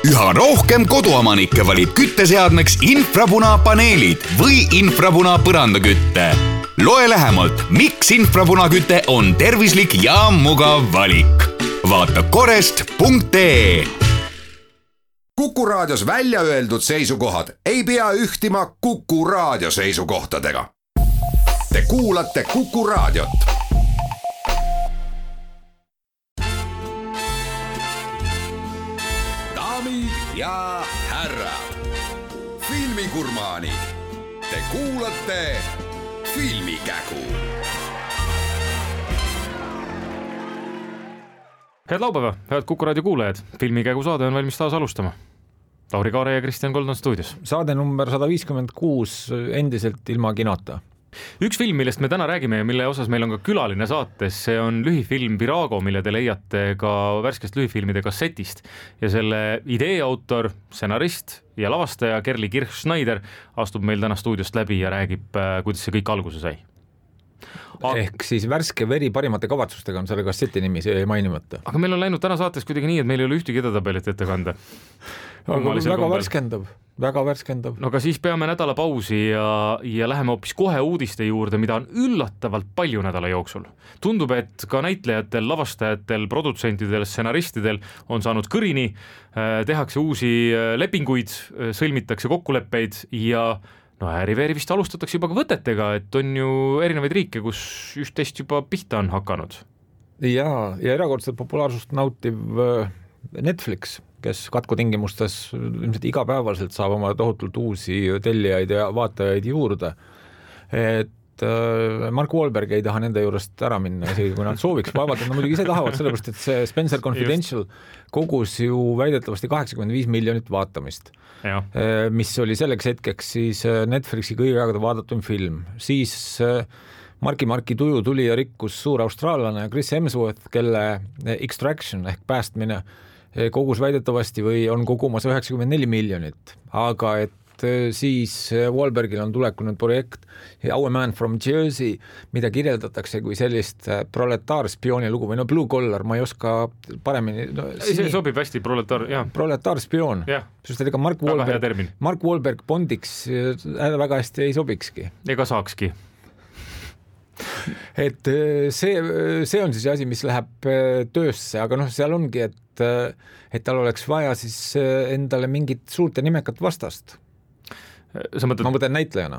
Üha rohkem koduomanikke valib kütteseadmeks infrapunapaneelid või infrapuna põrandakütte. Loe lähemalt, miks infrapunaküte on tervislik ja mugav valik. Vaata korest.ee. Kuku Raadios välja öeldud seisukohad ei pea ühtima Kuku Raadio seisukohtadega. Te kuulate Kuku Raadiot. Daamid ja härrad, filmigurmaanid, te kuulate Filmikägu. Head laupäeva, head Kuku Raadio kuulajad. Filmikägu saade on valmis taas alustama. Lauri Kaare ja Kristjan Kold on stuudios. Saade number 156 endiselt ilma kinota. Üks film, millest me täna räägime ja mille osas meil on ka külaline saates, see on lühifilm Virago, mille te leiate ka värskest lühifilmide kassetist. Ja selle idee autor, stsenarist ja lavastaja Gerli Kirch-Schneider astub meil täna stuudiost läbi ja räägib, kuidas see kõik alguse sai. Ehk siis värske veri parimate kavatsustega on selle kasseti nimi, see ei mainimata. Aga meil on läinud täna saates kuidagi nii, et meil ei ole ühtegi edetabelit ette kanda. Väga värskendab. No aga siis peame nädala pausi ja läheme hoopis kohe uudiste juurde, mida on üllatavalt palju nädala jooksul. Tundub, et ka näitlejatel, lavastajatel, produtsentidel, stsenaristidel on saanud kõrini, tehakse uusi lepinguid, sõlmitakse kokkuleppeid ja ääriveeri vist alustatakse juba ka võtetega, et on ju erinevaid riike, kus üht-teist juba pihta on hakanud. Ja erakordselt populaarsust nautiv Netflix, kes katkutingimustes ilmselt igapäevaselt saab oma tohutult uusi tellijaid ja vaatajaid juurde. Et Mark Wahlberg ei taha nende juurest ära minna, isegi kui nad sooviks. Vaevalt, et nad muidugi ise tahavad, sellepärast, et see Spencer Confidential kogus ju väidetavasti 85 miljonit vaatamist, mis oli selleks hetkeks siis Netflixi kõige aegade vaadatum film. Siis Marki tuju tuli ja rikkus suur austraallane Chris Hemsworth, kelle Extraction ehk päästmine kogus väidetavasti või on kogumas 94 miljonit, aga et siis Wahlbergil on tulekunud projekt Our Man from Jersey, mida kirjeldatakse kui sellist proletaarspiooni lugu või Blue Collar, ma ei oska paremini see sobib hästi, proletaarspioon, sest ega Mark Wahlberg Bondiks väga hästi ei sobikski ega saakski. Et see on siis asi, mis läheb töösse, aga seal ongi, et tal oleks vaja siis endale mingit suurt ja nimekat vastast. Ma mõtlen näitlejana.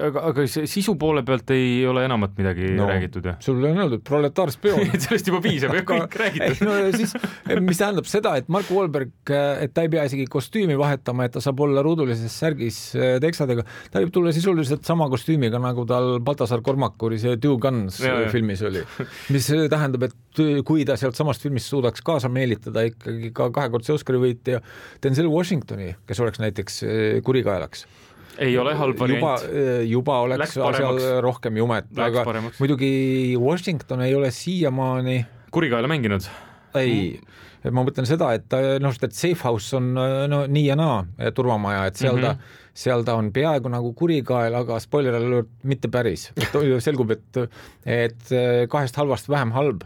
Aga sisu poole pealt ei ole enamat midagi räägitud. Sul on öeldud proletaarspioon. Sellest juba piisab ja kõik räägitud. Siis, mis tähendab seda, et Mark Wahlberg, et ta ei pea isegi kostüümi vahetama, et ta saab olla ruudulises särgis teksadega. Ta võib tulla sisuliselt sama kostüümiga, nagu tal Baltasar Kormakuri see Two Guns filmis oli. Mis tähendab, et kui ta sealt samast filmist suudaks kaasa meelitada ikkagi ka kahekordse Oscari võitja Denzel Washingtoni, kes oleks näiteks kurigaelaks. Ei ole halb variant. Juba oleks asjal rohkem jumet, aga muidugi Washington ei ole siiamaani kurigaela mänginud. Ei, ma mõtlen seda, et Safe House on nii ja naa turvamaja, et seal ta on peaaegu nagu kurigael, aga spoiler alert mitte päris. Selgub, et kahest halvast vähem halb.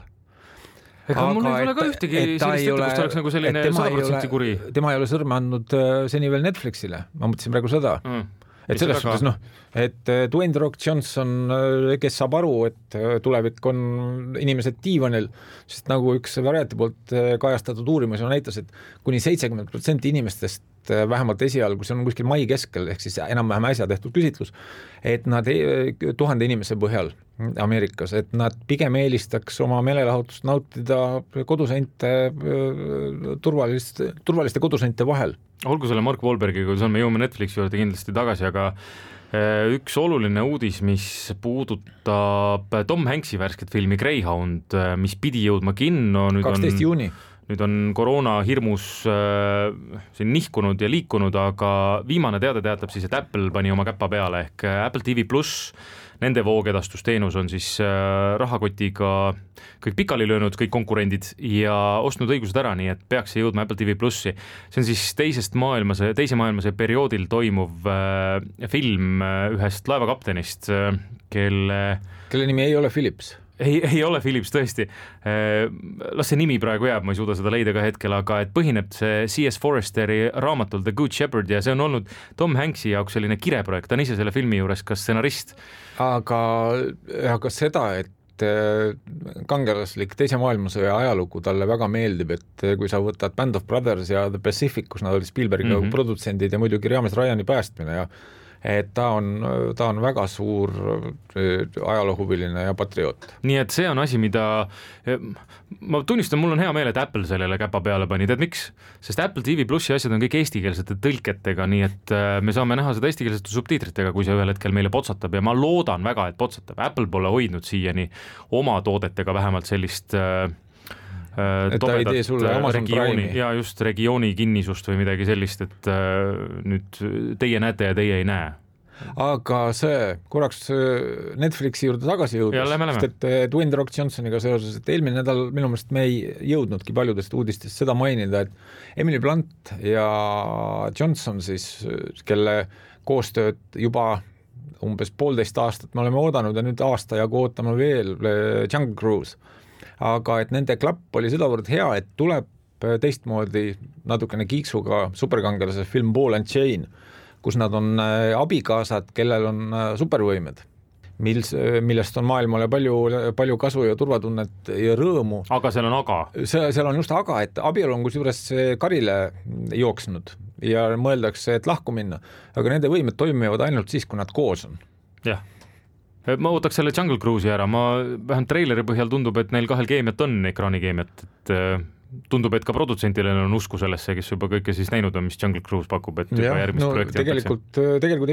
Ega mul ei ole ka ühtegi sellist ette, kus ta oleks nagu selline 100% kuri. Tema ei ole sõrme andnud seni veel Netflixile, ma mõtlesin praegu seda. Et selles suhtes, et Dwayne The Rock Johnson, kes saab aru, et tulevik on inimesed diivanil, sest nagu üks variati poolt kajastatud uurimus on näitas, et kuni 70% inimestest vähemalt esialgu, see on kuskil mai keskel, ehk siis enam-vähem äsja tehtud küsitlus, et nad 1000 inimese põhjal Ameerikas, et nad pigem eelistaks oma meelelahutust nautida koduseinte, turvaliste koduseinte vahel. Olgu selle Mark Wahlbergiga, kui me jõuame Netflixi juurde kindlasti tagasi, aga üks oluline uudis, mis puudutab Tom Hanksi värsket filmi Greyhound, mis pidi jõudma kinno. 12. juuni. Nüüd on koroona hirmus siin nihkunud ja liikunud, aga viimane teade teatab siis, et Apple pani oma käppa peale ehk Apple TV+, nende voogedastusteenus on siis rahakotiga kõik pikali löönud, kõik konkurendid ja ostnud õigused ära, nii et peaks jõudma Apple TV+. See on siis teise maailmasõja perioodil toimuv film ühest laevakaptenist, kelle nimi ei ole Phillips. ei ole Phillips tõesti. Las see nimi praegu jääb, ma ei suuda seda leida ka hetkel, aga et põhineb see C.S. Foresteri raamatul The Good Shepherd ja see on olnud Tom Hanksi jaoks selline kireprojekt, ta on ise selle filmi juures ka stsenarist. Aga seda, et kangelaslik teise maailmasõja ajalugu talle väga meeldib, et kui sa võtad Band of Brothers ja The Pacific, kus nad olid Spielbergi produtsendid ja muidugi Raames Ryani päästmine ja et ta on väga suur ajaloohuviline ja patrioot. Nii et see on asi, mida ma tunnistan, mul on hea meel, et Apple sellele käpa peale pani, tead miks? Sest Apple TV Plussi asjad on kõik eestikeelsete tõlketega, nii et me saame näha seda eestikeelsete subtiitritega, kui see ühel hetkel meile potsatab ja ma loodan väga, et potsatab. Apple pole hoidnud siiani oma toodetega vähemalt sellist tobedat regiooni ja just regiooni kinnisust või midagi sellist, et nüüd teie näete ja teie ei näe. Aga see korraks Netflixi juurde tagasi jõudus, sest et Dwayne The Rock Johnsoniga seoses, et eelmine nädal minu meelest me ei jõudnudki paljudest uudistest seda mainida, et Emily Blunt ja Johnson siis, kelle koostööd juba umbes 1,5 aastat me oleme oodanud ja nüüd aasta jagu ootame veel Jungle Cruise. Aga et nende klapp oli sedavõrd hea, et tuleb teistmoodi natukene kiiksuga superkangelase film Ball and Chain, kus nad on abikaasad, kellel on supervõimed, millest on maailmale palju kasu ja turvatunnet ja rõõmu. Aga seal on aga? Seal on just aga, et abielu on kusjuures karile jooksnud ja mõeldakse, et lahku minna, aga nende võimed toimivad ainult siis, kui nad koos on. Jah. Ma ootaks selle Jungle Cruise'i ära, vähemalt treileri põhjal tundub, et neil kahel keemiat on, ekraanikeemiat, et tundub, et ka produtsentile on usku sellesse, kes juba kõike siis näinud on, mis Jungle Cruise pakub, et juba järgmist projekti tegelikult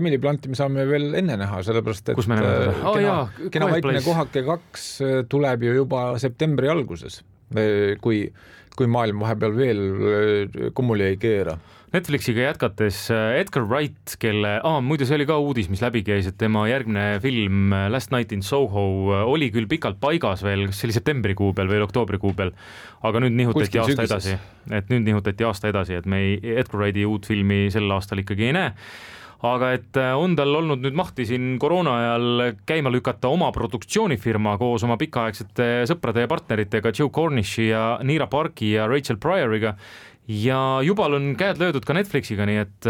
Emily Blunti me saame veel enne näha, sellepärast, et kus me näeme seda? Kena vaikne kohake 2 tuleb ju juba septembri alguses, kui maailm vahepeal veel kummuli ei keera. Netflixiga jätkates Edgar Wright, muidu see oli ka uudis, mis läbi käis, et tema järgmine film Last Night in Soho oli küll pikalt paigas veel, kas see oli septembrikuu peal või oktoobrikuu peal, aga nüüd nihutati aasta edasi, et me Edgar Wrighti uut filmi sel aastal ikkagi ei näe. Aga et on tal olnud nüüd mahti siin koroona ajal käima lükata oma produktsioonifirma koos oma pikaaegsete sõprade ja partneritega Joe Cornishi ja Neera Parki ja Rachel Pryoriga ja jubal on käed löödud ka Netflixiga, nii et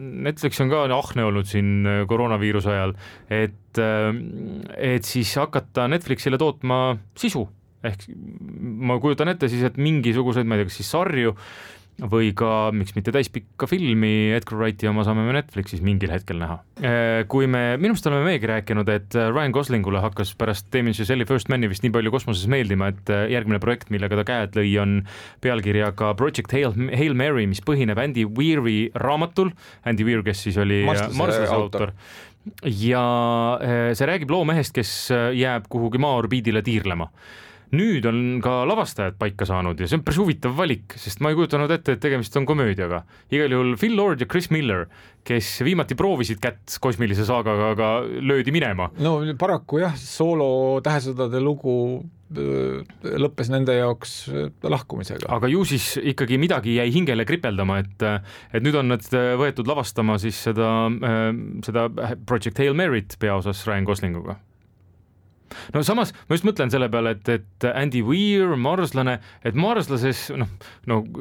Netflix on ka ahne olnud siin koroonaviiruse ajal, et siis hakata Netflixile tootma sisu, ehk ma kujutan ette siis, et mingisuguseid, ma ei tea, kas siis sarju või ka, miks mitte täispikka filmi Edgar Wrighti oma saame me Netflixis mingil hetkel näha. Kui minu meelest oleme meegi rääkinud, et Ryan Goslingule hakkas pärast Damien Chazelle First Mani vist nii palju kosmoses meeldima, et järgmine projekt, millega ta käed lõi, on pealkirjaga Project Hail Mary, mis põhineb Andy Weiri raamatul. Andy Weir, kes siis oli Marslase autor. Ja see räägib loomehest, kes jääb kuhugi maa-orbiidile tiirlema. Nüüd on ka lavastajad paika saanud ja see on päris huvitav valik, sest ma ei kujutanud ette, et tegemist on komöödiaga. Igal juhul Phil Lord ja Chris Miller, kes viimati proovisid kätt kosmilise saagaga, aga löödi minema. No paraku jah, soolo tähesõdade lugu lõppes nende jaoks lahkumisega. Aga ju siis ikkagi midagi jäi hingele kripeldama, et nüüd on nad võetud lavastama siis seda Project Hail Mary't peaosas Ryan Goslinguga. No samas ma just mõtlen selle peale, et Andy Weir, Marslane, et Marslases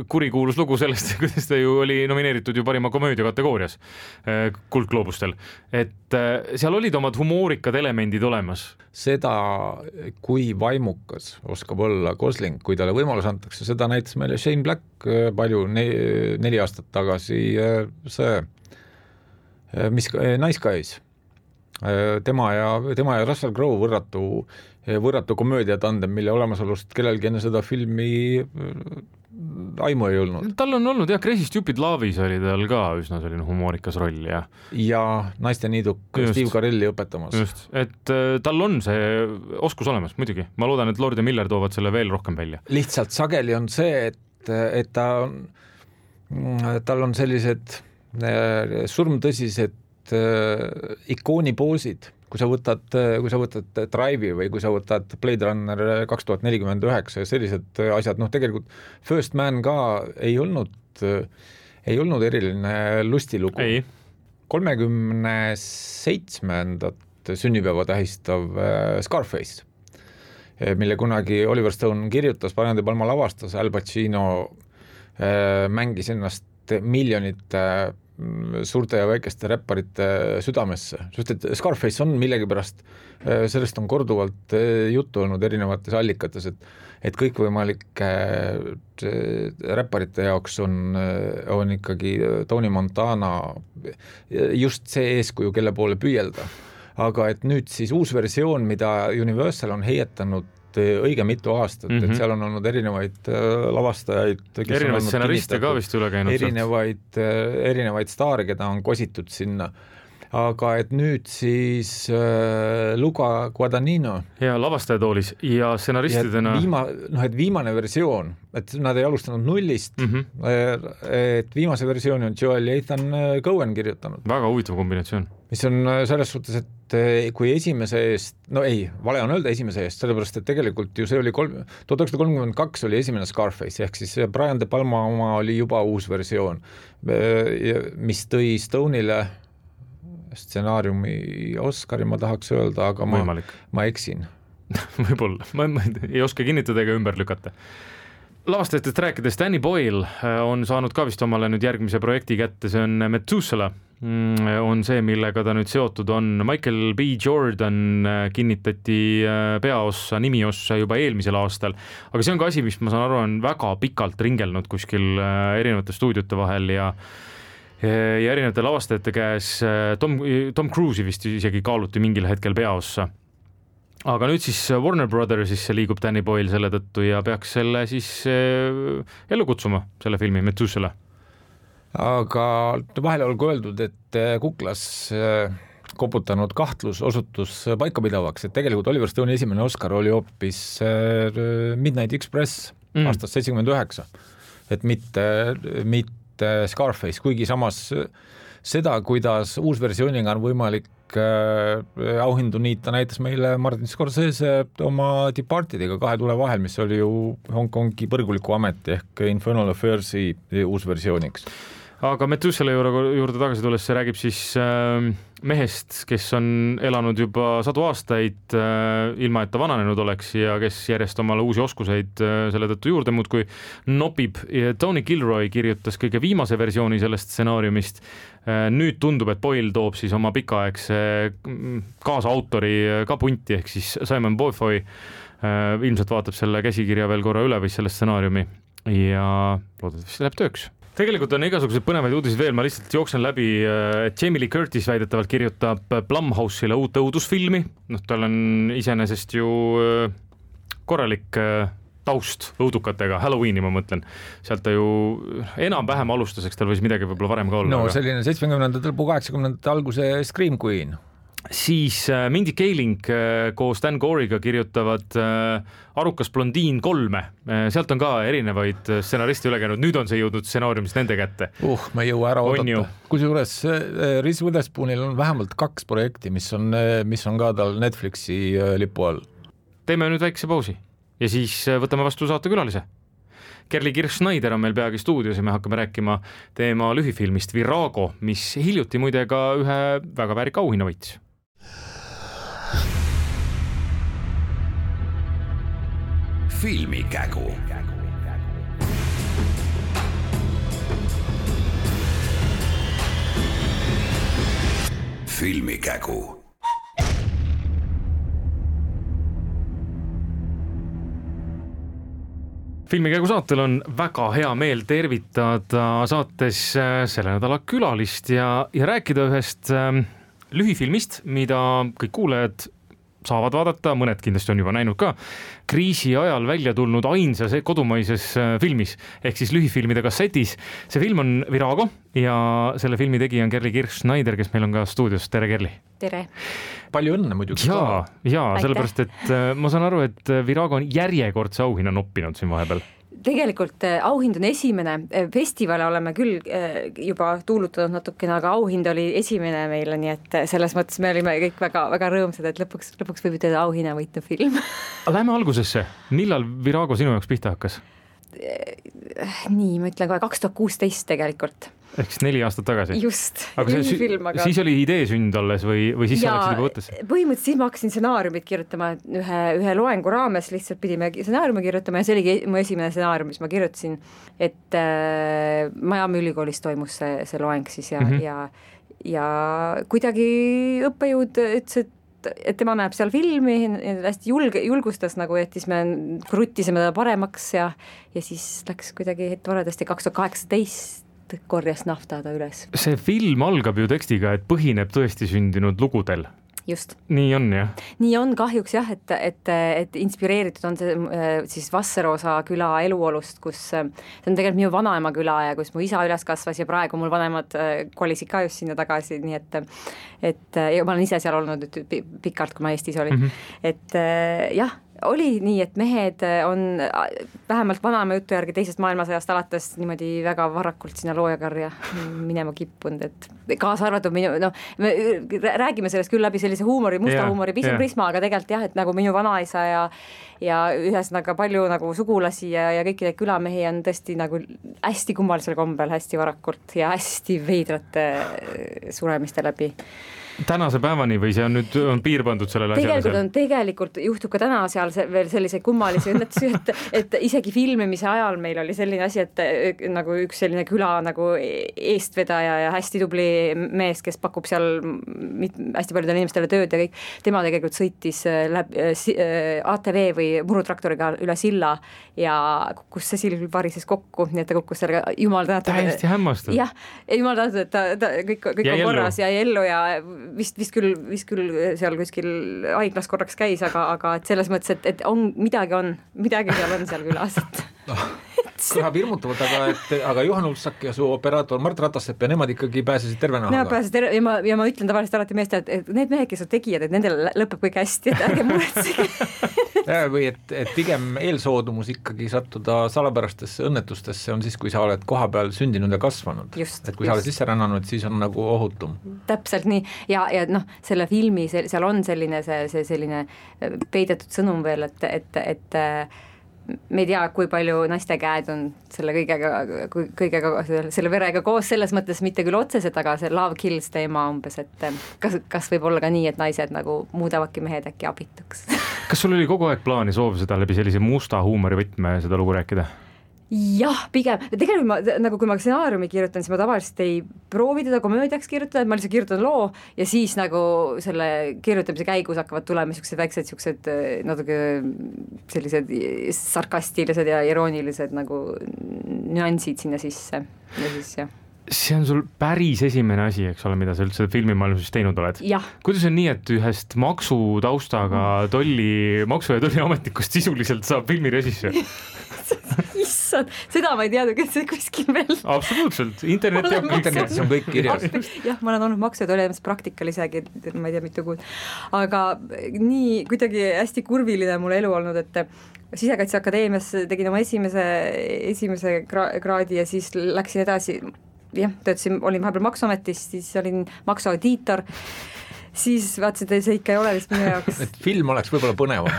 kurikuulus lugu sellest, kuidas ta ju oli nomineeritud ju parima komöödia kategoorias Kuldgloobustel, et seal olid omad humoorikad elemendid olemas. Seda, kui vaimukas oskab olla Gosling, kui talle võimalus antakse, seda näitas meile Shane Black palju 4 aastat tagasi mis Nice Guys. Tema ja Russell Crowe võrratu komöödiatandem, mille olemasolust kellelgi enne seda filmi aimu ei olnud. Tal on olnud jah, Crazy Stupid Love'is oli tal ka üsna selline humoorikas roll ja naiste niiduk Steve Carelli õpetamas. Just, et tal on see oskus olemas muidugi. Ma loodan, et Lord ja Miller toovad selle veel rohkem välja. Lihtsalt sageli on see, et tal on sellised surmtõsised ikoonipoosid, kui sa võtad Drive'i või kui sa võtad Blade Runner 2049 ja sellised asjad, tegelikult First Man ka ei olnud eriline lustilugu. 37. sünnipäeva tähistav Scarface mille kunagi Oliver Stone kirjutas, Brian De Palma lavastas, Al Pacino mängis ennast miljonite suurte ja väikeste räpparite südamesse, sest et Scarface on millegipärast, sellest on korduvalt juttu olnud erinevates allikates, et kõikvõimalike räpparite jaoks on ikkagi Tony Montana just see eeskuju, kelle poole püüelda. Aga et nüüd siis uus versioon, mida Universal on heietanud õige mitu aastat, et seal on olnud erinevaid lavastajaid, erinevaid stsenariste ka vist üle käinud, erinevaid staare, keda on kositud sinna. Aga et nüüd siis Luca Guadagnino ja lavastajatoolis ja stsenaristidena et viimane versioon, et nad ei alustanud nullist, et viimase versiooni on Joel Ethan Cohen kirjutanud. Väga huvitav kombinatsioon. Mis on selles suhtes, et kui esimese eest, vale on öelda esimese eest, sellepärast, et tegelikult ju see oli 1932 oli esimene Scarface, ehk siis Brian De Palma oma oli juba uus versioon, mis tõi Stone'ile stsenaariumi Oscari, ma tahaks öelda, aga ma eksin. Võib-olla, ma ei oska kinnitada ega ümber lükata. Lavastajatest rääkides, Danny Boyle on saanud ka vist omale nüüd järgmise projekti kätte, see on Methuselah, on see, millega ta nüüd seotud on. Michael B. Jordan kinnitati peaossa, nimiossa juba eelmisel aastal, aga see on ka asi, mis ma saan aru, on väga pikalt ringelnud kuskil erinevate stuudiote vahel ja erinevate lavastajate käes. Tom Cruise'i vist isegi kaaluti mingil hetkel peaossa. Aga nüüd siis Warner Brothersisse liigub Danny Boyle selle tõttu ja peaks selle siis ellu kutsuma, selle filmi Methuselah. Aga vahele olgu öeldud, et kuklas koputanud kahtlus osutus paikapidavaks, et tegelikult Oliver Stone'i esimene Oscar oli hoopis Midnight Express aastast 79, et mitte Scarface, kuigi samas seda, kuidas uusversiooniga on võimalik auhindu niita, näitas meile Martin Scorsese oma Departediga Kahe tule vahel, mis oli ju Hongkongi põrguliku ameti ehk Infernal Affairsi uusversiooniks. Aga Methuselah juurde tagasi tulles, see räägib siis mehest, kes on elanud juba 100 aastaid ilma, et ta vananenud oleks ja kes järjest omale uusi oskuseid selle tõttu juurde muudkui nopib. Tony Gilroy kirjutas kõige viimase versiooni sellest stsenaariumist. Nüüd tundub, et Boyle toob siis oma pikaaegse kaasautori ka punti, ehk siis Simon Beaufoy ilmselt vaatab selle käsikirja veel korra üle või selle stsenaariumi ja loodetavasti läheb tööks. Tegelikult on igasugused põnevaid uudiseid veel, ma lihtsalt jooksen läbi, et Jamie Lee Curtis väidetavalt kirjutab Blumhouse'ile uut õudusfilmi, tal on iseenesest ju korralik taust õudukatega, Halloweeni ma mõtlen, sealt ta ju enam-vähem alustas, eks tal võis midagi võib-olla varem ka olla. No selline 70. lõpu 80. alguse Scream Queen. Siis Mindy Kaling koos Dan Gore'iga kirjutavad Arukas blondiin 3. Sealt on ka erinevaid stsenaristi üle käinud. Nüüd on see jõudnud stsenaariumist nende kätte. Ma ei jõua ära oodata. Kusjuures Reese Witherspoonil on vähemalt 2 projekti, mis on ka tal Netflixi lipu all. Teeme nüüd väikse pausi ja siis võtame vastu saatekülalise. Kerli Kirch-Schneider on meil peagi stuudios ja me hakkame rääkima teema lühifilmist Virago, mis hiljuti muide ka ühe väga väärika auhinna võitis. Filmikägu. Filmikägu. Filmikägu saatel on väga hea meel tervitada saates selle nädala külalist ja rääkida ühest lühifilmist, mida kõik kuulajad saavad vaadata, mõned kindlasti on juba näinud ka, kriisi ajal välja tulnud ainsas kodumaises filmis, ehk siis lühifilmide kassetis. See film on Virago ja selle filmi tegija on Kerli Kirch-Schneider, kes meil on ka stuudios. Tere, Kerli! Tere! Palju õnne muidugi. Ja sellepärast, et ma saan aru, et Virago on järjekordse auhinna noppinud siin vahepeal. Tegelikult auhind on esimene, festivale oleme küll juba tuulutanud natukene, aga auhind oli esimene meile, nii et selles mõttes me olime kõik väga, väga rõõmsad, et lõpuks võib ütelda auhinna võitnud film. Lähme algusesse, millal Virago sinu jaoks pihta hakkas? Nii, ma ütlen kohe 2016 tegelikult. Ehk 4 aastat tagasi. Just, aga film, aga... siis oli idee sünd alles või siis sa läksid juba võttes? Põhimõtteliselt siis ma hakkasin stsenaariumit kirjutama ühe loengu raames, lihtsalt pidime stsenaariumi kirjutama ja see oligi mu esimene stsenaarium, mis ma kirjutasin, et Miami ülikoolis toimus see loeng siis ja kuidagi õppejõud ütles, et tema näeb seal filmi, hästi julgustas nagu, et siis me kruttisime ta paremaks ja siis läks kuidagi toredasti 2018 korjas nafta ta üles. See film algab ju tekstiga, et põhineb tõesti sündinud lugudel. Just. Nii on, jah? Nii on kahjuks jah, et inspireeritud on see siis Vasseroosa küla eluolust, kus see on tegelikult minu vanaema küla ja kus mu isa üles kasvas ja praegu mul vanemad kolisid ka just sinna tagasi, nii et ja ma olen ise seal olnud pikalt, kui ma Eestis olin. Et jah, oli nii, et mehed on vähemalt vanaema jutu järgi teisest maailmasõjast alates niimoodi väga varakult sinna loojakarja minema kippunud, et kaasa arvatud me räägime sellest küll läbi sellise huumori, musta huumori prisma, aga tegelikult jah, et nagu minu vanaisa ja ühesõnaga palju nagu sugulasi ja kõiki neid külamehi on tõesti nagu hästi kummalisel kombel, hästi varakult ja hästi veidrate suremiste läbi. Tänase päevani või see on nüüd piir pandud sellele asjale? Tegelikult juhtub ka täna seal veel selliseid kummalisi õnnetusi, et isegi filmimise ajal meil oli selline asi, et nagu üks selline küla nagu eestvedaja ja hästi tubli mees, kes pakub seal hästi paljudele inimestele tööd ja kõik, tema tegelikult sõitis ATV või murutraktoriga üle silla ja kukkus see sill varises kokku, nii et ta kukkus sellega jumal tänatud. Täiesti hämmastud. Jah, jumal tänatud, et ta kõik on korras ja ellu ja vist küll seal kuskil haiglas korraks käis, aga et selles mõttes, et on midagi seal on seal külas, et kõlab hirmutavalt, aga Juhan Ulfsak ja su operaator Mart Ratassepp ja nemad ikkagi pääsesid tervena. Nemad pääsesid terve ja ma ütlen tavaliselt alati meeste, et need mehed, kes on tegijad, et nendel lõpeb kõik hästi, et ärge muretsege. Või et pigem eelsoodumus ikkagi sattuda salapärastesse õnnetustesse on siis, kui sa oled koha peal sündinud ja kasvanud. Et kui sa oled sisse rännanud, siis on nagu ohutum. Täpselt nii ja selle filmi, seal on selline selline peidetud sõnum veel, et me ei tea, kui palju naiste käed on selle kõigega selle verega koos, selles mõttes mitte küll otseselt, aga see love kills teema umbes, et kas võib olla ka nii, et naised nagu muudavadki mehed äkki abituks. Kas sul oli kogu aeg plaani soov seda läbi sellise musta huumori võtme seda lugu rääkida? Jah, pigem. Tegelikult kui ma stsenaariumi kirjutan, siis ma tavaliselt ei proovi teda komöödiaks kirjutada, et ma lihtsalt kirjutan loo ja siis nagu selle kirjutamise käigus hakkavad tulema väiksed natuke sellised sarkastilised ja iroonilised nagu nüansid sinna sisse ja siis jah. See on sul päris esimene asi, eks ole, mida sa üldse filmimaailmas teinud oled. Jah. Kuidas on nii, et ühest maksutaustaga maksu- ja tolliametnikust sisuliselt saab filmirežissöör? Issand, seda ma ei teadnud, kes see kuskil veel. Absoluutselt, internetis on kõik kirjas. Jah, ma olen olnud maksu- ja tolliametis praktikal isegi, ma ei tea mitu kuud. Aga nii kuidagi hästi kurviline mul elu olnud, et Sisekaitseakadeemias tegin oma esimese kraadi ja siis läksin edasi. Jah, olin vahepeal maksuametis, siis olin maksuaudiitor, siis vaatasin, et see ikka ei ole vist minu jaoks. Et film oleks võib-olla põnevam.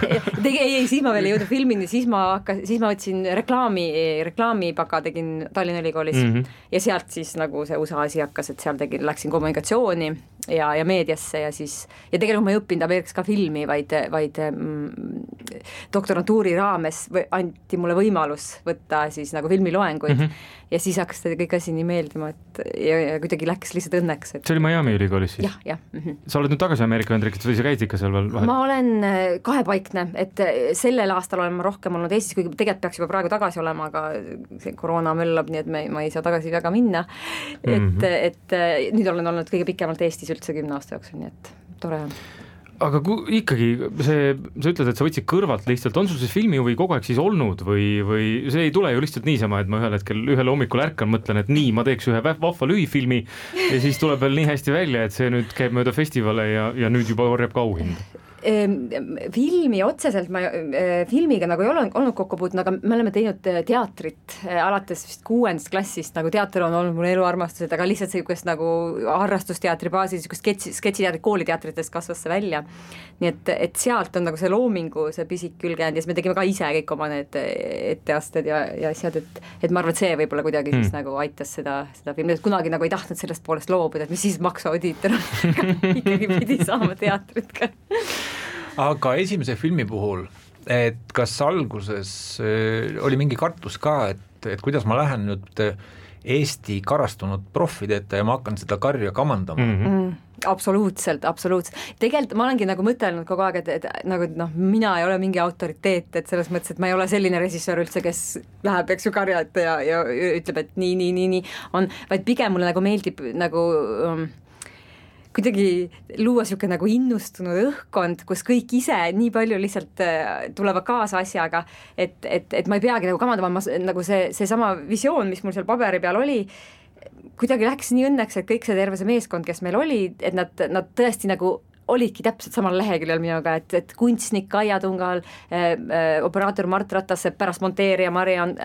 Ei, siis ma veel ei jõudnud filmini, siis ma võtsin reklaamipaka tegin Tallinna Ülikoolis ja sealt siis nagu see USA asi hakkas, et seal läksin kommunikatsiooni ja meediasse ja siis, ja tegelikult ma ei õppinud Ameerikas ka filmi, vaid doktorantuuri raames anti mulle võimalus võtta siis nagu filmiloenguid ja siis hakkas kõik asi nii meeldima, et ja kuidagi läks lihtsalt õnneks. See oli Miami ülikoolis siis? Jah. Sa oled nüüd tagasi Ameerika Ühendriikides või sa käid ikka seal veel vahel? Ma olen kahepaikne, et sellel aastal olen ma rohkem olnud Eestis, kuigi tegelikult peaks juba praegu tagasi olema, aga see koroona möllab, nii et ma ei saa tagasi väga minna. Et nüüd olen olnud kõige pikemalt Eestis üldse 10 aasta jooksul, nii et tore on. Aga ikkagi sa ütled, et sa võtsid kõrvalt lihtsalt, on sul see filmihuvi kogu aeg siis olnud või see ei tule ju lihtsalt niisama, et ma ühel hommikul ärkan, mõtlen, et nii, ma teeks ühe vahva lühifilmi ja siis tuleb veel nii hästi välja, et see nüüd käib mööda festivale ja nüüd juba orjab ka auhind? Filmi otseselt ma filmiga nagu ei ole olnud kokku puutunud, aga me oleme teinud teatrit alates vist 6. klassist, nagu teater on olnud mul eluarmastused, aga lihtsalt sellist nagu harrastusteatri baasil, sketšiteatri kooliteatritest kasvas see välja. Nii et sealt on nagu see loomingu, see pisik külge jäänud ja siis me tegime ka ise kõik oma need etteasted ja asjad, et ma arvan, et see võib-olla kuidagi siis nagu aitas seda filmi, et kunagi nagu ei tahtnud sellest poolest loobuda, et mis siis maksuaudiitor ikkagi pidi saama teatrit ka. Aga esimese filmi puhul, et kas alguses oli mingi kartus ka, et kuidas ma lähen nüüd Eesti karastunud profide ette ja ma hakkan seda karja kamandama? Absoluutselt. Tegelikult ma olengi nagu mõtelnud kogu aeg, et nagu mina ei ole mingi autoriteet, et selles mõttes, et ma ei ole selline režissöör üldse, kes läheb, eks ju, karja ette ja ütleb, et nii on, vaid pigem mulle nagu meeldib nagu kuidagi luua siuke nagu innustunud õhkkond, kus kõik ise nii palju lihtsalt tulevad kaasa asjaga, et ma ei peagi nagu kamandama, nagu see sama visioon, mis mul seal paberi peal oli, kuidagi läks nii õnneks, et kõik see terve see meeskond, kes meil oli, et nad tõesti nagu olidki täpselt samal leheküljel minuga, et kunstnik Kaia Tungal, operaator Mart Ratas, pärast monteerija Mariann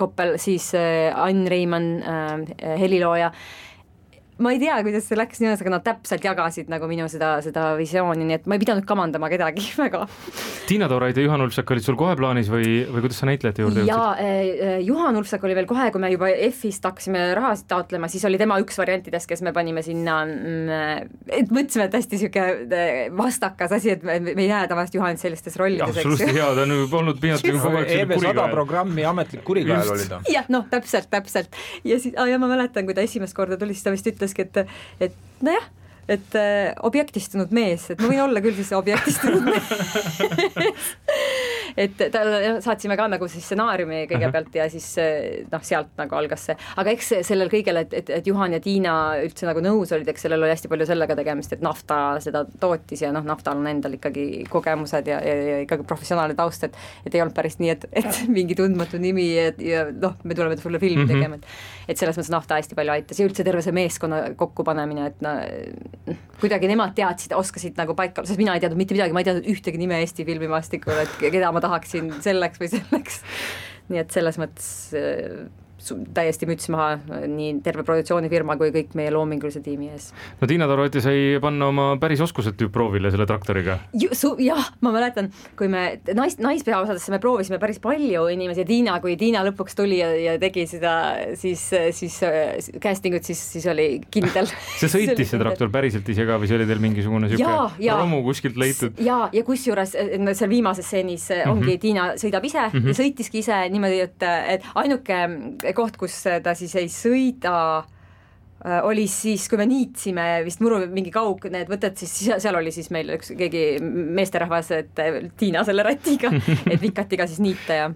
Koppel, siis Ann Reimann, helilooja. Ma ei tea, kuidas see läks nii, aga nad täpselt jagasid nagu minu seda visiooni, nii et ma ei pidanud kamandama kedagi väga. Tiina Tooraid ja Juhan Ulfsak olid sul kohe plaanis või kuidas sa näitlejate juurde jõudsid? Ja Juhan Ulfsak oli veel kohe, kui me juba F-ist hakkasime rahasid taotlema, siis oli tema üks variantidest, kes me panime sinna, et mõtlesime, et hästi siuke vastakas asi, et me ei näe tavaliselt Juhanit sellistes rollides. Absoluutselt hea, ta on olnud piinatlikult kogu aeg EV100 programmi ametlik kurikael oli ta. Jah, täpselt. Ja siis, ma mäletan, kui ta esimest korda tuli, siis ta vist ütleski, et nojah, et objektistunud mees, et ma võin olla küll siis objektistunud mees. Et saatsime ka nagu siis stsenaariumi kõigepealt ja siis sealt nagu algas see, aga eks sellel kõigel, et Juhan ja Tiina üldse nagu nõus olid, eks sellel oli hästi palju sellega tegemist, et Nafta seda tootis ja Naftal on endal ikkagi kogemused ja ikkagi professionaalne taust, et ei olnud päris nii, et mingi tundmatu nimi ja me tuleme sulle filmi tegema, et selles mõttes Nafta hästi palju aitas ja üldse terve see meeskonna kokkupanemine, et kuidagi nemad teadsid, oskasid nagu paika, sest mina ei teadnud mitte midagi, ma ei teadnud ühtegi nime Eesti filmimaastikul, et keda ma tahaksin selleks või selleks. Nii et selles mõttes täiesti müts maha nii terve produktsioonifirma kui kõik meie loomingulise tiimi ees. No Tiina Tooraid sai panna oma päris oskused proovile selle traktoriga. Jah, ma mäletan, kui me naispeaosadesse me proovisime päris palju inimesi ja kui Tiina lõpuks tuli ja tegi seda siis castingut, siis oli kindel. See sõitis see traktor päriselt ise ka või see oli teil mingisugune romu kuskilt leitud? Ja kusjuures seal viimases stseenis ongi Tiina sõidab ise ja sõitiski ise niimoodi, et ainuke koht, kus ta siis ei sõida, oli siis, kui me niitsime vist muru mingi kaug need võtted, siis seal oli siis meil keegi meesterahvas, et Tiina selle ratiga, et vikati ka siis niita ja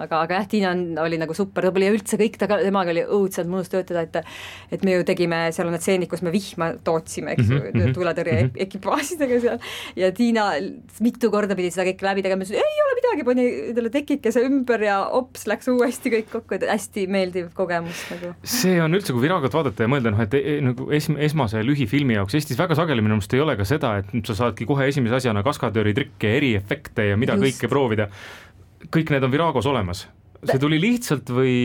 aga jah, Tiina oli nagu super, ta oli üldse kõik, temaga oli õudselt mõnus töötada, et me ju tegime, seal on need stseenid, kus me vihma tootsime, eks ju, tuletõrje ekipaasidega seal ja Tiina mitu korda pidi seda kõik läbi tegema, ei ole midagi, pani talle tekikese ümber ja ops, läks uuesti kõik kokku, et hästi meeldiv kogemus nagu. See on üldse, kui Viragot vaadata ja mõelda, et nagu esmase lühifilmi jaoks Eestis väga sageli minu meelest ei ole ka seda, et sa saadki kohe esimese asjana kaskadööri trikke, eriefekte ja mida kõike proovida. Kõik need on Viragos olemas. See tuli lihtsalt või...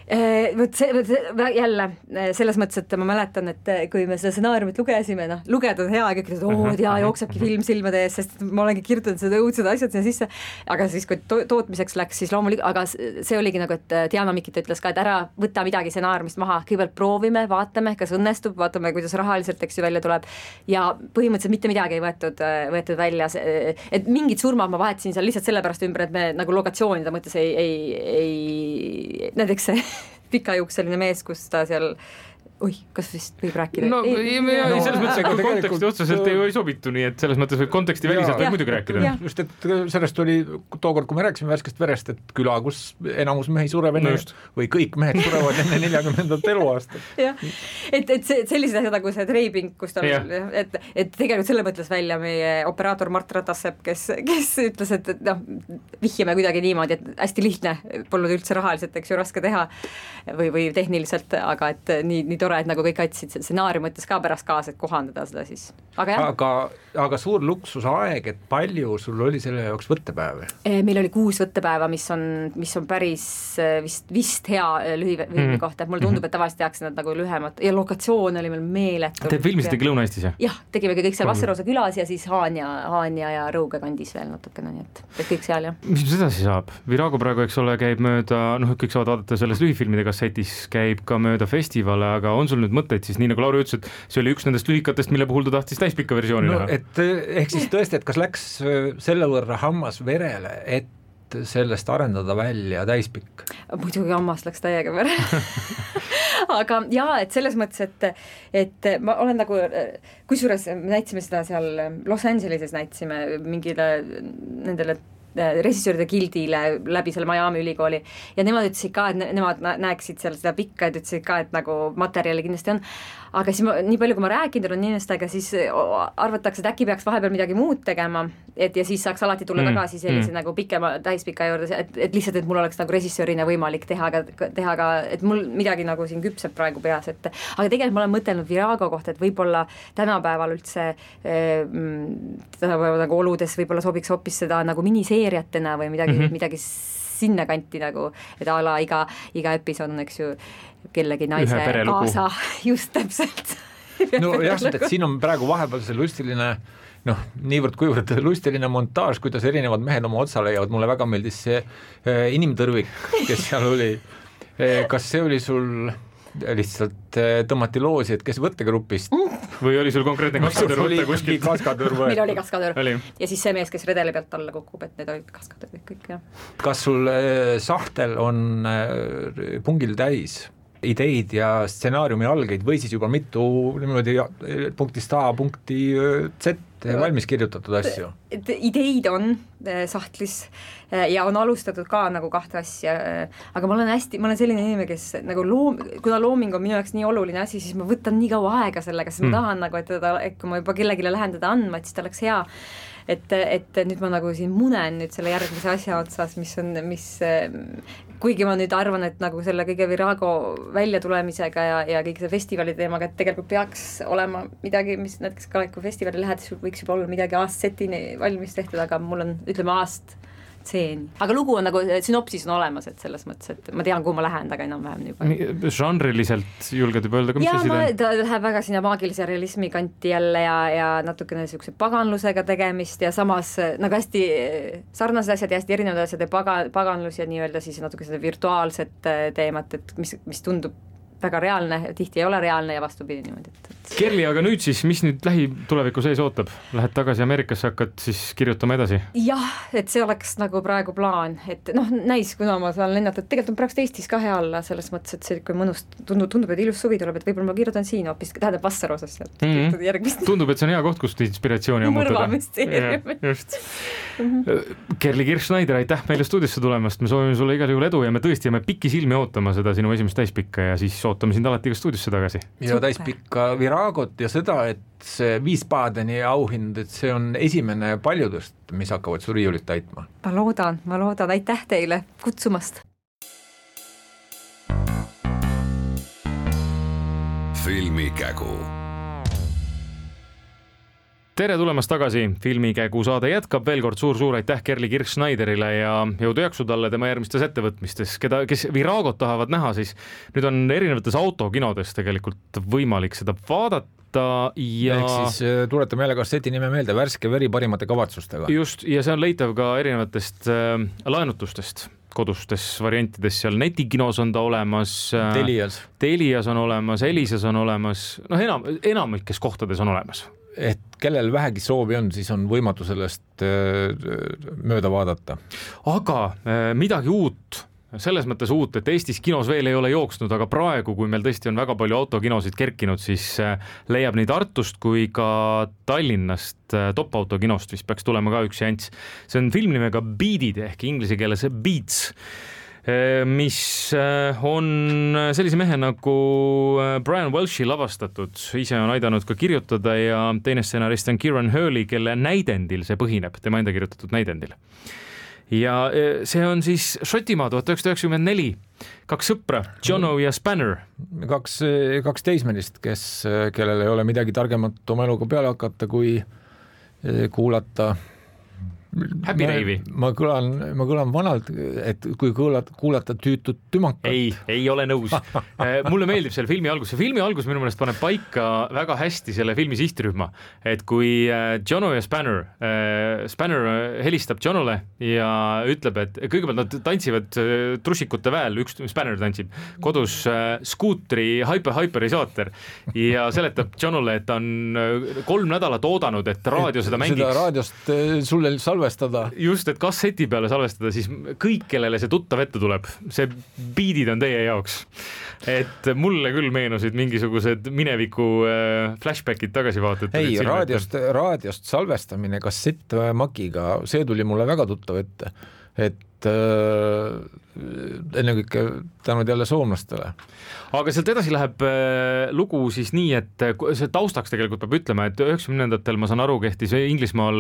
jälle selles mõttes, et ma mäletan, et kui me seda stsenaariumit lugesime, lugeda on hea, kõik ütlevad, jooksebki film silmade ees, sest ma olengi kirjutanud seda õudsed asjad sinna sisse, aga siis kui tootmiseks läks, siis loomulikult, aga see oligi nagu, et Diana Mikita ütles ka, et ära võta midagi stsenaariumist maha, kõigepealt proovime, vaatame, kas õnnestub, vaatame, kuidas rahaliselt eks ju välja tuleb ja põhimõtteliselt mitte midagi ei võetud välja, et mingid surmad ma vahetasin seal lihtsalt sellepärast ümber, et me nagu lokatsioonide mõttes ei näiteks see pikajuukseline mees, kus ta seal kas vist võib rääkida? Selles mõttes, et konteksti otseselt ei sobitu, nii et selles mõttes võib konteksti väliselt võib muidugi rääkida. Just, et sellest oli tookord, kui me rääkisime Värskest verest, et küla, kus enamus mehi sureb enne või kõik mehed surevad enne 40. eluaastat. Et sellised asjad nagu see treibing, kus ta et tegelikult selle mõtles välja meie operaator Mart Ratassepp, kes ütles, et vihjame kuidagi niimoodi, et hästi lihtne, polnud üldse rahaliselt, eks ju, raske teha. või tehniliselt, aga et nii tore, et nagu kõik aitasid stsenaariumi mõttes ka pärast kaasa, et kohandada seda siis. Aga suur luksusaeg, et palju sul oli selle jaoks võttepäev? Meil oli 6 võttepäeva, mis on päris vist hea lühifilmi kohta, et mulle tundub, et tavaliselt tehakse nad nagu lühemad ja lokatsioon oli meil meeletu. Te filmisitegi Lõuna-Eestis, jah? Jah, tegime kõik seal Vassarosa külas ja siis Haanja ja Rõuge kandis veel natukene, nii et kõik seal, jah. Mis edasi saab? Virago praegu, eks ole, käib mööda, kõik saavad vaadata selles lühifilmide kassetis, käib ka mööda festivale, aga on sul nüüd mõtteid siis, nii nagu Lauri ütles, et see oli üks nendest lühikatest, mille puhul ta tahtis täispikka versiooni näha? Et ehk siis tõesti, et kas läks selle võrra hammas verele, et sellest arendada välja täispikk? Muidugi hammas läks täiega verele. Aga jaa, et selles mõttes, et ma olen nagu, kusjuures näitsime seda seal Los Angeleses näitsime mingile nendele režissööride gildile läbi selle Miami ülikooli ja nemad ütlesid ka, et nemad näeksid seal seda pikka, et ütlesid ka, et nagu materjali kindlasti on, aga siis nii palju, kui ma rääkinud olen inimestega, siis arvatakse, et äkki peaks vahepeal midagi muud tegema, ja siis saaks alati tulla tagasi sellise nagu pikema täispika juurde, et lihtsalt, et mul oleks nagu režissöörina võimalik teha ka, et mul midagi nagu siin küpseb praegu peas, aga tegelikult ma olen mõtelnud Virago kohta, et võib-olla tänapäeval üldse tänapäeval nagu oludes võib-olla sobiks hoopis seda nagu miniseeriatena või midagi sinna kanti nagu, et a la iga episood on, eks ju, kellegi naise kaasa, just täpselt. No jah, et siin on praegu vahepeal see lustiline, niivõrd kuivõrd lustiline montaaž, kuidas erinevad mehed oma otsa leiavad, mulle väga meeldis see inimtõrvik, kes seal oli. Kas see oli sul lihtsalt tõmmati loosi, et kes võttegrupist? Või oli sul konkreetne kaskadör võtta kuskilt? Meil oli kaskadör. Ja siis see mees, kes redeli pealt alla kukub, et need olid kaskadör kõik, jah. Kas sul sahtel on pungil täis ideid ja stsenaariumi algeid või siis juba mitu niimoodi punktist A punkti Z valmis kirjutatud asju? Ideid on sahtlis ja on alustatud ka nagu 2 asja, aga ma olen selline inimene, kes nagu kuna looming on minu jaoks nii oluline asi, siis ma võtan nii kaua aega sellega, sest ma tahan nagu, et kui ma juba kellegile lähen teda andma, et siis ta oleks hea. Et nüüd ma nagu siin munen nüüd selle järgmise asja otsas, mis kuigi ma nüüd arvan, et nagu selle kõige Virago välja tulemisega ja kõik see festivali teemaga, et tegelikult peaks olema midagi, mis näiteks ka kui festivali lähedes võiks juba olla midagi aastsetini valmis tehtud, aga mul on, ütleme, stseeni. Aga lugu on nagu, sünopsis on olemas, et selles mõttes, et ma tean, kuhu ma lähen, aga enam-vähem juba. Žanriliselt julged juba öelda, mis asi ta läheb väga sinna maagilise realismi kanti jälle ja natukene niisuguse paganlusega tegemist ja samas nagu hästi sarnased asjad ja hästi erinevad asjad ja paganlus ja nii-öelda siis natuke seda virtuaalset teemat, et mis tundub väga reaalne, tihti ei ole reaalne ja vastupidi niimoodi. Kerli, aga nüüd siis, mis nüüd lähituleviku sees ootab? Lähed tagasi Ameerikasse, hakkad siis kirjutama edasi? Jah, et see oleks nagu praegu plaan, et näis, kuna ma saan lennata, et tegelikult on praegu Eestis ka hea olla selles mõttes, et see kui mõnust tundub, et ilus suvi tuleb, et võib-olla ma kirjutan siin hoopis, tähendab Vassarosas järgmist. Tundub, et see on hea koht, kust inspiratsiooni ammutada. Just. Kerli Kirch-Schneider, aitäh meile stuudiosse tulemast, me soovime sulle igal juhul edu ja me tõesti jääme pikki silmi ootama seda sinu esimest täispikka ja siis ootame sind alati ka stuudiosse tagasi. Ja täispikka Viragot ja seda, et see Wiesbadeni auhind, et see on esimene paljudest, mis hakkavad su riiulit täitma. Ma loodan, aitäh teile kutsumast. Filmikägu. Tere tulemast tagasi, Filmikägu saade jätkab veel kord suur aitäh Kerli Kirch-Schneiderile ja jõudu jaksu talle tema järgmistes ettevõtmistes, kes Viragot tahavad näha, siis nüüd on erinevates autokinodes tegelikult võimalik seda vaadata ja ehk siis tuletame jälle kasseti nime meelde, Värske veri parimate kavatsustega. Just, ja see on leitav ka erinevatest laenutustest, kodustes variantides, seal netikinos on ta olemas, Telias on olemas, Elisas on olemas, enamikes kohtades on olemas. Et kellel vähegi soovi on, siis on võimatu sellest mööda vaadata. Aga midagi uut, selles mõttes uut, et Eestis kinos veel ei ole jooksnud, aga praegu, kui meil tõesti on väga palju autokinosid kerkinud, siis leiab nii Tartust kui ka Tallinnast top-autokinost, vist peaks tulema ka üks seanss. See on film nimega Beatid ehk inglise keeles Beats, mis on sellise mehe nagu Brian Welshi lavastatud, ise on aidanud ka kirjutada ja teine stsenarist on Kieran Hurley, kelle näidendil see põhineb, tema enda kirjutatud näidendil. ja see on siis Šotimaa 1994, 2 sõpra, Jono ja Spanner. Kaks teismelist, kellel ei ole midagi targemat oma eluga peale hakata, kui kuulata Happy Rave'i. Ma kõlan vanalt, et kui kuulata tüütut tümakat. Ei ole nõus. Mulle meeldib selle filmi algus. See filmi algus minu meelest paneb paika väga hästi selle filmi sihtrühma, et kui Jono ja Spanner helistab Jonole ja ütleb, et kõigepealt nad tantsivad trusikute väel, üks Spanner tantsib kodus skuutri Hyper-Isaater ja seletab Jonole, et ta on 3 nädalat oodanud, et raadio seda mängiks. Seda raadiost sulle salvestada. Just, et kasseti peale salvestada, siis kõik, kellele see tuttav ette tuleb, see beatid on teie jaoks. Et mulle küll meenusid mingisugused mineviku flashbackid tagasivaated. Ei, raadiost salvestamine kassettmakiga, see tuli mulle väga tuttav ette, et ennekõike tänud jälle soomlastele. Aga sealt edasi läheb lugu siis nii, et see taustaks tegelikult peab ütlema, et 90-ndatel ma saan aru, kehtis Inglismaal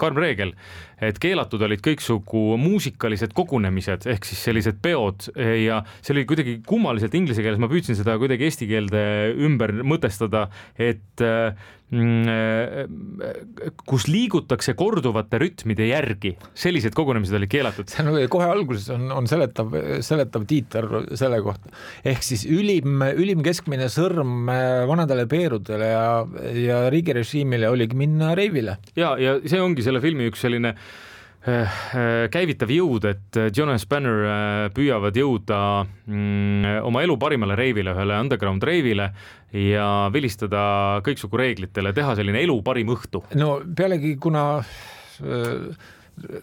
karm reegel, et keelatud olid kõiksugu muusikalised kogunemised ehk siis sellised peod ja see oli kuidagi kummaliselt inglise keeles, ma püüdsin seda kuidagi eesti keelde ümber mõtestada, et kus liigutakse korduvate rütmide järgi, sellised kogunemised olid keelatud. See on kohe alguses on seletav tiiter selle kohta. Ehk siis ülim keskmine sõrm vanadele peerudele ja riigirežiimile oligi minna reivile. Ja see ongi selle filmi üks selline käivitav jõud, et John ja Spanner püüavad jõuda oma elu parimale reivile, ühele underground reivile ja vilistada kõiksugu reeglitele, teha selline elu parim õhtu. No pealegi, kuna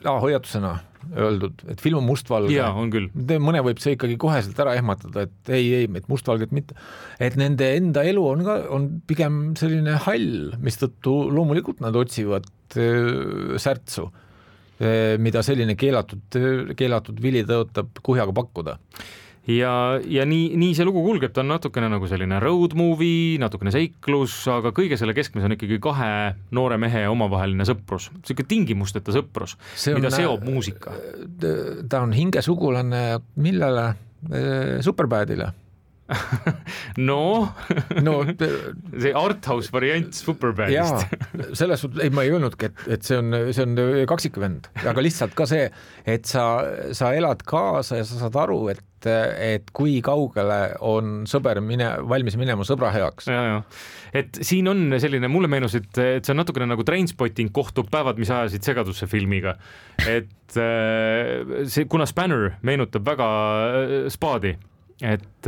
hoiatusena öeldud, et film on mustvalge. Jaa, on küll. Mõne võib see ikkagi koheselt ära ehmatada, et ei, et mustvalget mitte. Et nende enda elu on pigem selline hall, mistõttu loomulikult nad otsivad särtsu, mida selline keelatud vili tõotab kuhjaga pakkuda. Ja nii see lugu kulgeb, ta on natukene nagu selline road movie, natukene seiklus, aga kõige selle keskmes on ikkagi 2 noore mehe omavaheline sõprus. Selline tingimusteta sõprus, mida seob muusika. Ta on hingesugulane millele? Superbadile. see arthouse variant Superbadist. Selles suhtes, ma ei öelnudki, et see on kaksikvend, aga lihtsalt ka see, et sa elad kaasa ja sa saad aru, et kui kaugele on sõber valmis minema sõbra heaks. Ja. Et siin on selline, mulle meenus, et see on natukene nagu Trainspotting kohtub päevad, mis ajasid segadusse filmiga. Et kuna Spanner meenutab väga spaadi, et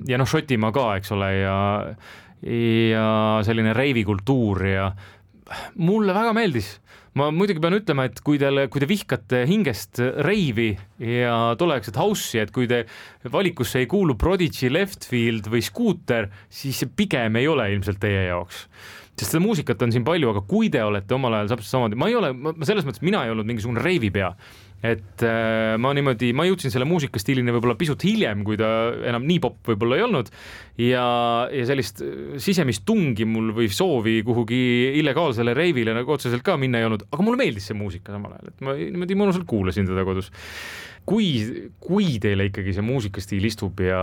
ja Šotimaa ka, eks ole, ja selline reivikultuur ja mulle väga meeldis. Ma muidugi pean ütlema, et kui te vihkate hingest reivi ja tolleaegset house'i, et kui te valikusse ei kuulu Prodigy, Leftfield või Scooter, siis pigem ei ole ilmselt teie jaoks. Sest seda muusikat on siin palju, aga kui te olete omal ajal samamoodi, selles mõttes mina ei olnud mingisugune reivipea, et ma jõudsin selle muusikastiilini võib-olla pisut hiljem, kui ta enam nii popp võib-olla ei olnud ja sellist sisemist tungi mul või soovi kuhugi illegaalsele reivile nagu otseselt ka minna ei olnud, aga mulle meeldis see muusika samal ajal, et ma niimoodi mõnusalt kuulasin teda kodus. Kui teile ikkagi see muusikastiil istub ja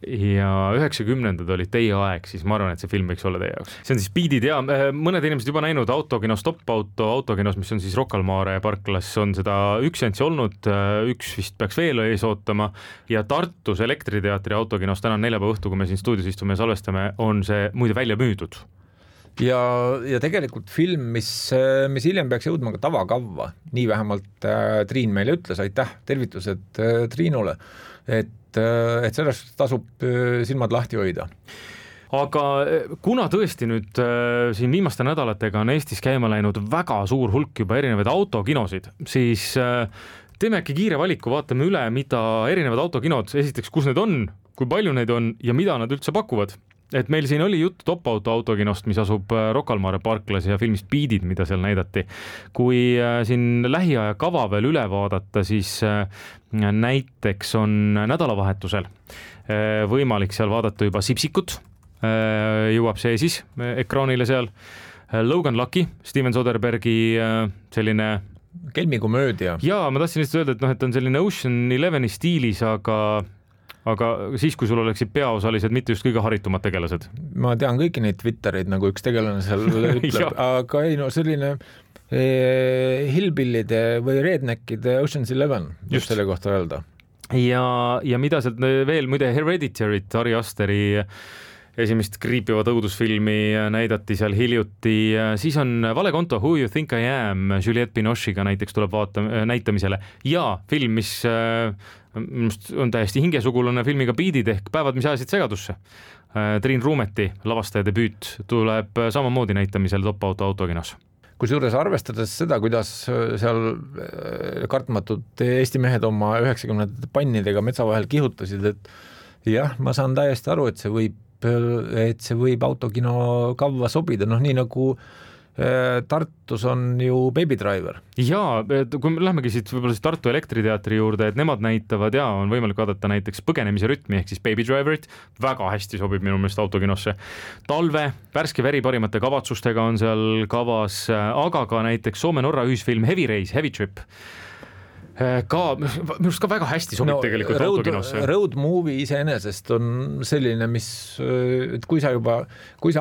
90-ndad olid teie aeg, siis ma arvan, et see film võiks olla teie jaoks. See on siis beatid ja mõned inimesed juba näinud autokinos autokinos, mis on siis Rocca al Mare parklas, on seda 1 seanssi olnud, 1 vist peaks veel ees ootama ja Tartus Elektriteatri autokinos täna neljapäeva õhtu, kui me siin stuudios istume ja salvestame, on see muide välja müüdud. Ja tegelikult film, mis hiljem peaks jõudma ka tavakavva, nii vähemalt Triin meile ütles, aitäh, tervitused Triinule, et sellest tasub silmad lahti hoida. Aga kuna tõesti nüüd siin viimaste nädalatega on Eestis käima läinud väga suur hulk juba erinevaid autokinosid, siis teeme äkki kiire valiku, vaatame üle, mida erinevad autokinod, esiteks, kus need on, kui palju neid on ja mida nad üldse pakuvad. Et meil siin oli jutt Top-Auto autokinost, mis asub Rocca al Mare parklas ja filmist Beatid, mida seal näidati. Kui siin lähiaja kava veel üle vaadata, siis näiteks on nädalavahetusel võimalik seal vaadata juba Sipsikut, jõuab see siis ekraanile seal. Logan Lucky, Steven Soderbergi selline kelmikomöödia. Jaa, ma tahtsin lihtsalt öelda, et noh, et on selline Ocean 11 stiilis, aga siis, kui sul oleksid peaosalised mitte just kõige haritumad tegelased. Ma tean kõiki neid Twitterid, nagu üks tegelane seal ütleb, aga ei no selline hillbillide või redneckide Ocean's 11, just selle kohta öelda. Ja mida sealt veel, muide Hereditary't, Ari Asteri esimest kriipivat õudusfilmi näidati seal hiljuti, siis on Valekonto Who You Think I Am Juliette Binoche'iga näiteks tuleb näitamisele ja film, mis on täiesti hingesugulane filmiga Beatid ehk Päevad, mis ajasid segadusse. Triin Ruumeti lavastaja debüüt tuleb samamoodi näitamisel Top Auto autokinos. Kusjuures arvestades seda, kuidas seal kartmatud Eesti mehed oma 90 pannidega metsa vahel kihutasid, et jah, ma saan täiesti aru, et see võib autokino kavva sobida, noh nii nagu Tartus on ju Baby Driver. Jaa, kui me lähemegi siit võib-olla Tartu Elektriteatri juurde, et nemad näitavad ja on võimalik vaadata näiteks Põgenemise rütmi ehk siis Baby Driverit, väga hästi sobib minu meelest autokinosse. Talve, värske veri parimate kavatsustega on seal kavas, aga ka näiteks Soome-Norra ühisfilm Heavy Race, Heavy Trip. Minu arust ka väga hästi sobib tegelikult autokinosse. Road movie iseenesest on selline, mis, et kui sa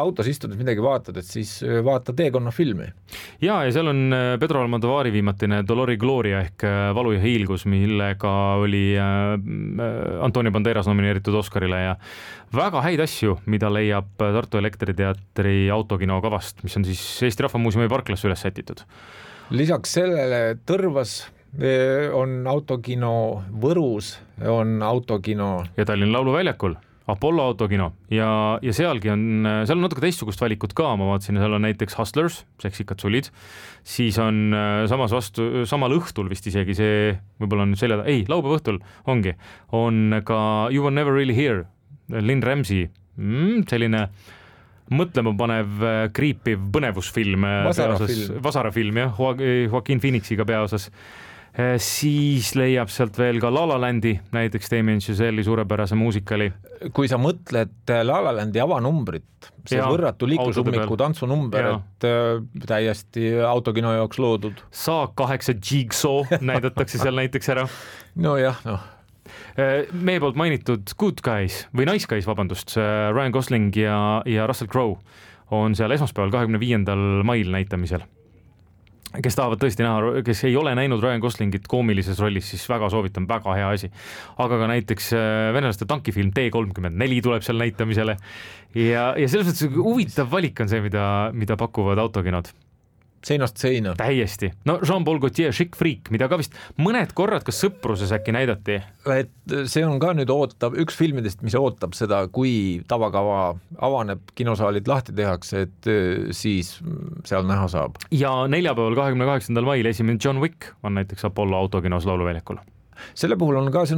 autos istud midagi vaatad, et siis vaata teekonnafilmi. Ja seal on Pedro Almodovari viimatine Dolor y Gloria ehk Valu ja hiilgus, millega oli Antonio Banderas nomineeritud Oscarile ja väga häid asju, mida leiab Tartu Elektriteatri autokino kavast, mis on siis Eesti Rahvamuuseumi parklasse üles sätitud. Lisaks sellele Tõrvas on autokino, Võrus on autokino ja Tallinna Lauluväljakul Apollo autokino ja seal on natuke teistsugust valikut ka, ma vaatasin, seal on näiteks Hustlers, seksikad sulid, siis on samal õhtul vist isegi see, võib-olla on laupäeva õhtul on ka You Were Never Really Here, Lynn Ramsey, selline mõtlema panev, kriipiv põnevusfilm, vasarafilm, jah, Joaquin Phoenixiga peaosas. Siis leiab sealt veel ka La La Landi, näiteks Damien Chazelle'i suurepärase muusikali. Kui sa mõtled La La Landi avanumbrit, see võrratu liiklusummiku tantsunumber, et täiesti autokino jaoks loodud. Saak 8 Jigsaw näidatakse seal näiteks ära. Nojah, Meie poolt mainitud Good Guys või Nice Guys, vabandust, Ryan Gosling ja Russell Crowe on seal esmaspäeval 25. mail näitamisel. Kes tahavad tõesti näha, kes ei ole näinud Ryan Goslingit koomilises rollis, siis väga soovitan, väga hea asi. Aga ka näiteks venelaste tankifilm T-34 tuleb seal näitamisele ja selles mõttes huvitav valik on see, mida pakuvad autokinod. Seinast seina. Täiesti. No Jean-Paul Gaultier, Chic Freak, mida ka vist mõned korrad kas sõpruses äkki näidati. Et see on ka nüüd üks filmidest, mis ootab seda, kui tavakava avaneb, kinosaalid lahti tehakse, et siis seal näha saab. Ja neljapäeval 28. mail esimene John Wick on näiteks Apollo autokinos Lauluväljakul. Selle puhul on ka, see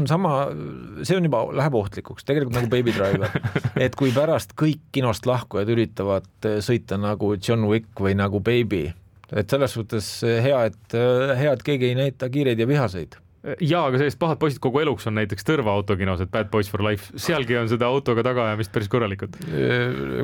on juba läheb ohtlikuks, tegelikult nagu Baby Driver, et kui pärast kõik kinost lahkujad üritavad sõita nagu John Wick või nagu Baby, et selles suhtes hea, et keegi ei näita kiireid ja vihaseid. Jaa, aga sellist pahad poisid kogu eluks on näiteks Tõrva autokinos, et Bad Boys for Life, sealgi on seda autoga tagaajamist päris korralikult.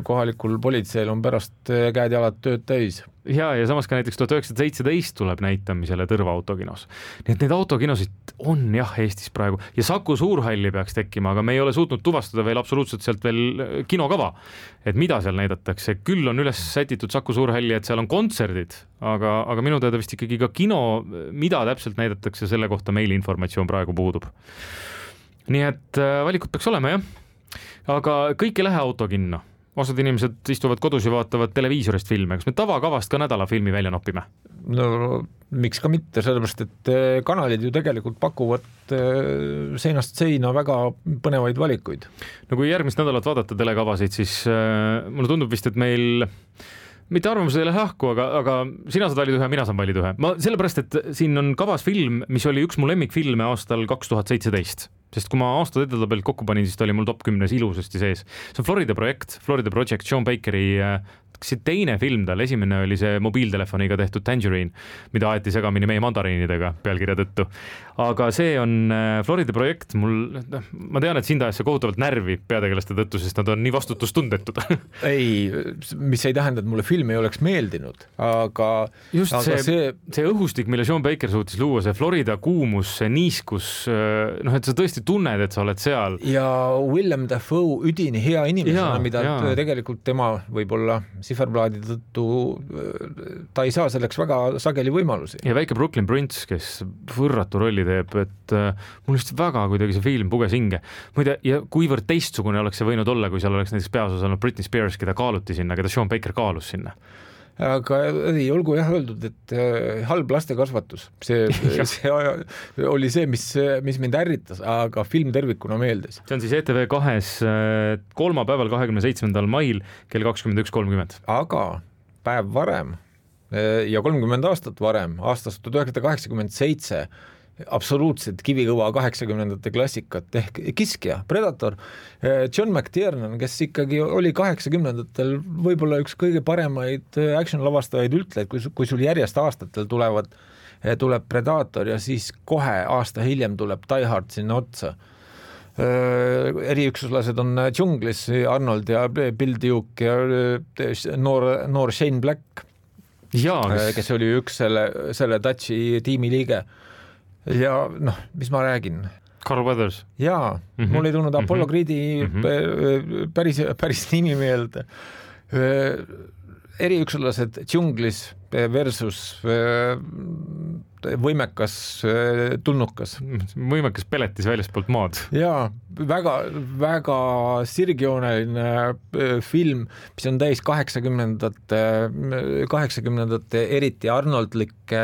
Kohalikul politseil on pärast käed-jalad tööd täis. Ja samas ka näiteks 1917 tuleb näitamisele Tõrva autokinos. Nii et need autokinosid on jah Eestis praegu ja Saku Suurhalli peaks tekkima, aga me ei ole suutnud tuvastada veel absoluutselt sealt veel kinokava, et mida seal näidatakse. Küll on üles sätitud Saku Suurhalli, et seal on kontserdid, aga minu teada vist ikkagi ka kino, mida täpselt näidatakse, selle kohta meil informatsioon praegu puudub. Nii et valikud peaks olema, jah. Aga kõik ei lähe autokinno. Osad inimesed istuvad kodus ja vaatavad televiisorist filme. Kas me tavakavast ka nädala filmi välja nopime? No miks ka mitte, sellepärast, et kanalid ju tegelikult pakuvad seinast seina väga põnevaid valikuid. No kui järgmist nädalat vaadata telekavasid, siis mulle tundub vist, et meil mitte arvamused ei lähe lahku, aga sina saad valida ühe, mina saan valida ühe. Sellepärast, et siin on kavas film, mis oli üks mu lemmikfilme aastal 2017. Sest kui ma aastad edetabelt kokku panin, siis ta oli mul top 10 ilusasti sees. See on Florida Project, Sean Bakeri teine film tal, esimene oli see mobiiltelefoniga tehtud Tangerine, mida aeti segamini meie mandariinidega pealkirja tõttu. Aga see on Florida projekt, ma tean, et sind ajas see kohutavalt närvi peategelaste tõttu, sest nad on nii vastutustundetud. Ei, mis ei tähenda, et mulle film ei oleks meeldinud, aga just see õhustik, mille Sean Baker suutis luua, see Florida kuumus, see niiskus, et sa tõesti tunned, et sa oled seal. Ja Willem Dafoe üdini hea inimesena, mida tegelikult tema võib-olla Siferblaadi tõttu ta ei saa selleks väga sageli võimalusi. Ja väike Brooklyn Prince, kes võrratu rolli teeb, et mul just väga kuidagi see film puges hinge. Muide, ja kuivõrd teistsugune oleks see võinud olla, kui seal oleks näiteks peaosas olnud Britney Spears, keda kaaluti sinna, keda Sean Baker kaalus sinna. Aga ei olgu öeldud, et halb lastekasvatus. See oli see, mis mind ärritas, aga film tervikuna meeldis. See on siis ETV2-s kolmapäeval 27. mail kell 21.30. Aga päev varem ja 30 aastat varem, aastast 1987, absoluutselt kivikõva 80-ndate klassikat ehk Kiskja, Predator, John McTiernan, kes ikkagi oli 80-ndatel võib-olla üks kõige paremaid action-lavastajaid üldse, kui sul järjest aastatel tuleb Predator ja siis kohe aasta hiljem tuleb Die Hard sinna otsa. Eriüksuslased on džunglis, Arnold ja Bill Duke ja noor Shane Black, kes oli üks selle Dutchi tiimi liige. Ja mis ma räägin? Carl Weathers. Jaa, mul ei tulnud Apollo Creed'i päris nimi meelde. Eriüksuslased džunglis versus võimekas tulnukas. Võimekas peletis väljaspoolt maad. Jaa, väga sirgjooneline film, mis on täis 80-ndate eriti Arnoldlikke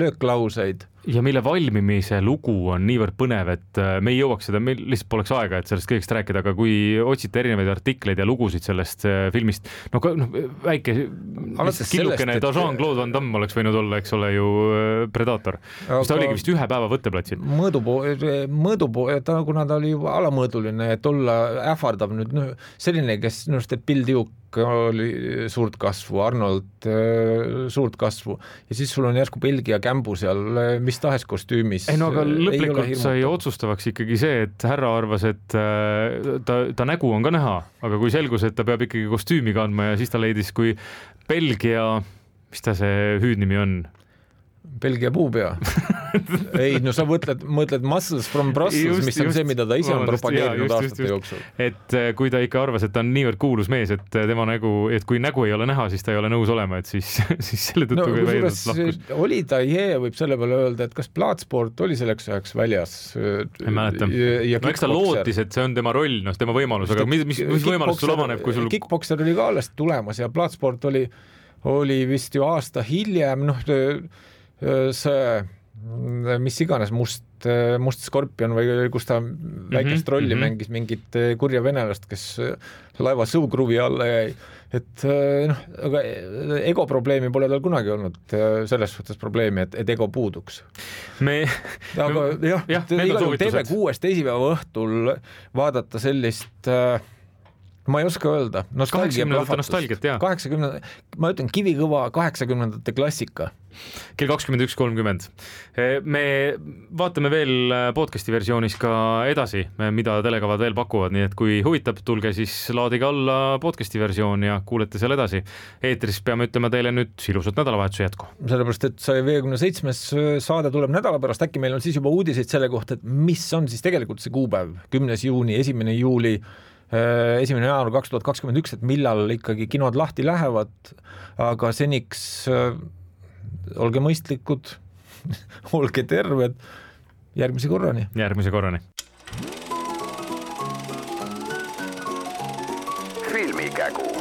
lööklauseid. Ja mille valmimise lugu on niivõrd põnev, et me ei jõuaks seda, meil lihtsalt poleks aega, et sellest kõigest rääkida, aga kui otsite erinevaid artikleid ja lugusid sellest filmist, väike killukene Jean-Claude Van Damme oleks võinud olla, eks ole ju Predator, mis ta oligi vist ühe päeva võtteplatsil. Kuna ta oli juba alamõõduline, et olla ähvardav nüüd selline, kes Bill Duke oli suurt kasvu, Arnold suurt kasvu ja siis sul on järsku Belgia kämbu seal mis tahes kostüümis. Aga lõplikult sai otsustavaks ikkagi see, et härra arvas, et ta nägu on ka näha, aga kui selgus, et ta peab ikkagi kostüümi kandma ja siis ta leidis, kui Belgia, mis ta see hüüdnimi on? Belgia puupea. Ei, sa mõtled Muscles from Brussels, mis on see, mida ta ise on propageerinud aastate jooksul. Et kui ta ikka arvas, et ta on niivõrd kuulus mees, et tema nägu, et kui nägu ei ole näha, siis ta ei ole nõus olema, et siis selle tõttu kui väidetavalt lahkus. Oli ta võib selle peale öelda, et kas Bloodsport oli selleks ajaks väljas? Ei mäleta. Eks ta lootis, et see on tema roll, tema võimalus, aga mis võimalus sul avaneb, kui sul... Kickboxer oli ka alles tulemas ja Bloodsport oli vist ju aasta hiljem, see mis iganes must skorpion või kus ta väikest rolli mängis mingit kurja venelast, kes laeva sõukruvi alla jäi. Et aga ego probleemi pole tal kunagi olnud, selles suhtes probleemi, et ego puuduks. Aga TV6 teisipäeva õhtul vaadata sellist... Ma ei oska öelda. Nostalgiat, jah. 80, ma ütlen kivikõva 80-ndate klassika. Kell 21.30. Me vaatame veel podcasti versioonis ka edasi, mida telekavad veel pakuvad, nii et kui huvitab, tulge siis laadige alla podcasti versioon ja kuulete seal edasi. Eetris peame ütlema teile nüüd ilusat nädalavahetuse jätku. Sellepärast, et 157. saade tuleb nädala pärast, äkki meil on siis juba uudiseid selle kohta, et mis on siis tegelikult see kuupäev, 10. juuni, 1. juuli 1. jaanuar 2021, et millal ikkagi kinod lahti lähevad, aga seniks olge mõistlikud, olge terved, järgmise korrani. Filmikägu.